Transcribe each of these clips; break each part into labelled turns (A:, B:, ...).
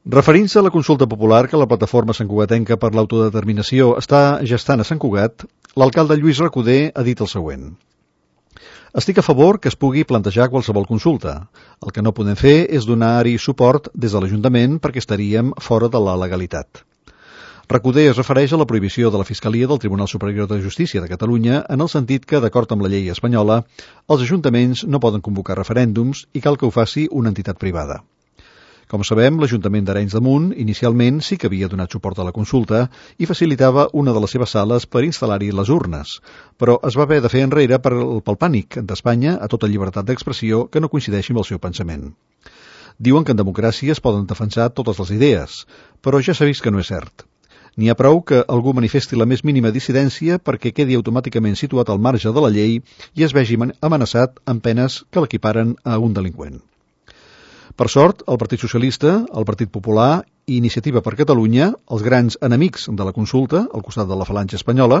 A: Referint-se a la consulta popular que la plataforma santcugatenca per l'autodeterminació està gestant a Sant Cugat, l'alcalde Lluís Recoder ha dit el següent. Estic a favor que es pugui plantejar qualsevol consulta. El que no podem fer és donar-hi suport des de l'Ajuntament perquè estaríem fora de la legalitat. Recoder es refereix a la prohibició de la Fiscalia del Tribunal Superior de Justícia de Catalunya en el sentit que, d'acord amb la llei espanyola, els ajuntaments no poden convocar referèndums i cal que ho faci una entitat privada. Com sabem, l'Ajuntament d'Arenys de Munt inicialment sí que havia donat suport a la consulta i facilitava una de les seves sales per instal·lar-hi les urnes, però es va haver de fer enrere pel pànic d'Espanya a tota llibertat d'expressió que no coincideixi amb el seu pensament. Diuen que en democràcia es poden defensar totes les idees, però ja s'ha vist que no és cert. N'hi ha prou que algú manifesti la més mínima dissidència perquè quedi automàticament situat al marge de la llei i es vegi amenaçat amb penes que l'equiparen a un delinqüent. Per sort, el Partit Socialista, el Partit Popular i Iniciativa per Catalunya, els grans enemics de la consulta, al costat de la falange espanyola,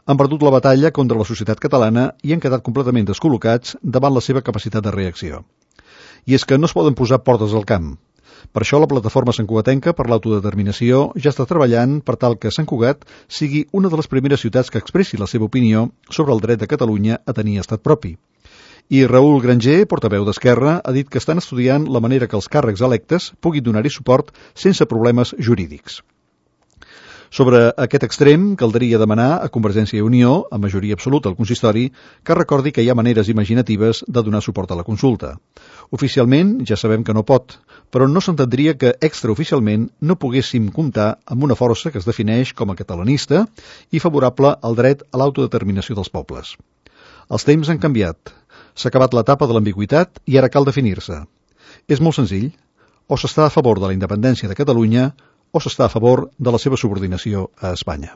A: han perdut la batalla contra la societat catalana i han quedat completament descol·locats davant la seva capacitat de reacció. I és que no es poden posar portes al camp. Per això la plataforma santcugatenca per l'autodeterminació ja està treballant per tal que Sant Cugat sigui una de les primeres ciutats que expressi la seva opinió sobre el dret de Catalunya a tenir estat propi. I Raül Granger, portaveu d'Esquerra, ha dit que estan estudiant la manera que els càrrecs electes puguin donar-hi suport sense problemes jurídics. Sobre aquest extrem, caldria demanar a Convergència i Unió, a majoria absoluta al consistori, que recordi que hi ha maneres imaginatives de donar suport a la consulta. Oficialment ja sabem que no pot, però no s'entendria que extraoficialment no poguéssim comptar amb una força que es defineix com a catalanista i favorable al dret a l'autodeterminació dels pobles. Els temps han canviat. S'ha acabat l'etapa de l'ambigüitat i ara cal definir-se. És molt senzill. O s'està a favor de la independència de Catalunya o s'està a favor de la seva subordinació a Espanya.